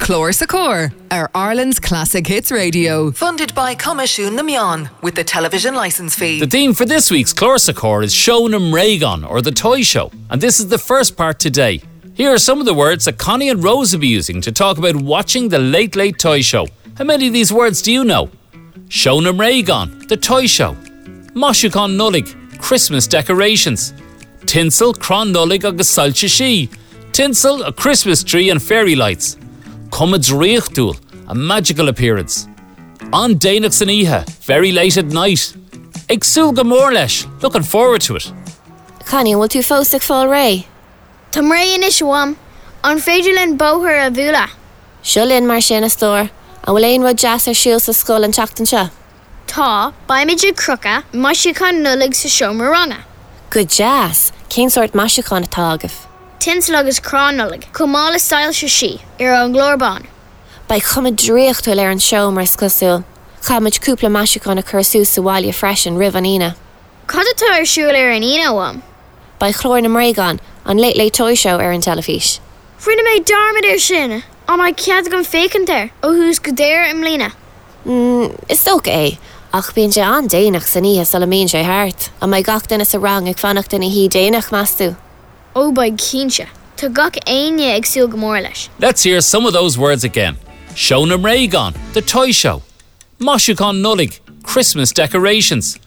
Clár sa Chór ar Ireland's Classic Hits Radio. Funded by Coimisiún na Meán with the television licence fee. The theme for this week's Clár sa Chór is Seó na mBréagán, or the toy show, and this is the first part today. Here are some of the words that Connie and Rose will be using to talk about watching the Late Late Toy Show. How many of these words do you know? Seó na mBréagán, the toy show. Maisiúcháin Nollag, Christmas decorations. Tinsel, crann Nollag agus soilse sí. Tinsel, a Christmas tree and fairy lights. Cuma draíochtúil, a magical appearance. An-déanach san oíche, very late at night. Ag súil go mór leis, looking forward to it. Connie, an bhfuil tú fós ag fáil réidh? Táim réidh anois, a Mham. An féidir linn bóthar a bhualadh? Seo linn mar sin, a stór. An bhfuil aon rud deas ar siúl sa scoil an tseachtain seo? Tá, beimid ag crochadh maisiúcháin Nollag sa seomra ranga. Go deas! Cén sórt maisiúcháin atá agaibh? Tinsel agus crann Nollag, chomh maith le soilse sí, ar an gclár bán. Beidh cuma draíochtúil ar an seomra, is cosúil. Caithfidh muid cúpla maisiúchán a chur suas sa bhaile freisin roimh an Aoine. Cad atá ar siúl ar an Aoine, a Mham? Beidh Clár na mBréagán, an Late Late Toy Show ar an teilifís. Rinne mé dearmad air sin! An mbeidh cead agam féachaint air ó thús go deireadh i mbliana? Mm, is dócha é. Ach bíonn sé an-déanach san oíche sula mbíonn sé thart. An mbeidh gach duine sa rang ag fanacht ina shuí déanach, meas tú? Ó beidh cinnte. Tá gach éinne ag súil go mór leis. Let's hear some of those words again. Seó na mBréagán, the toy show. Maisiúcháin Nollag, Christmas decorations.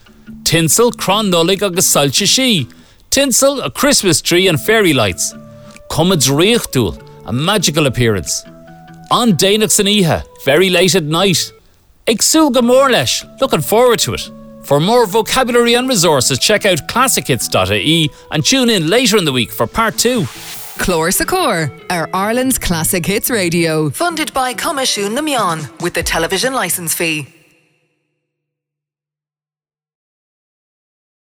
Tinsel, crann Nollag agus soilse sí. Tinsel, a Christmas tree and fairy lights. Cuma draíochtúil, a magical appearance. An-déanach san oíche, very late at night. Ag súil go mór leis, looking forward to it. For more vocabulary and resources, check out classichits.ie and tune in later in the week for part 2. Clár sa Chór ar Ireland's Classic Hits Radio. Funded by Coimisiún na Meán with the television licence fee.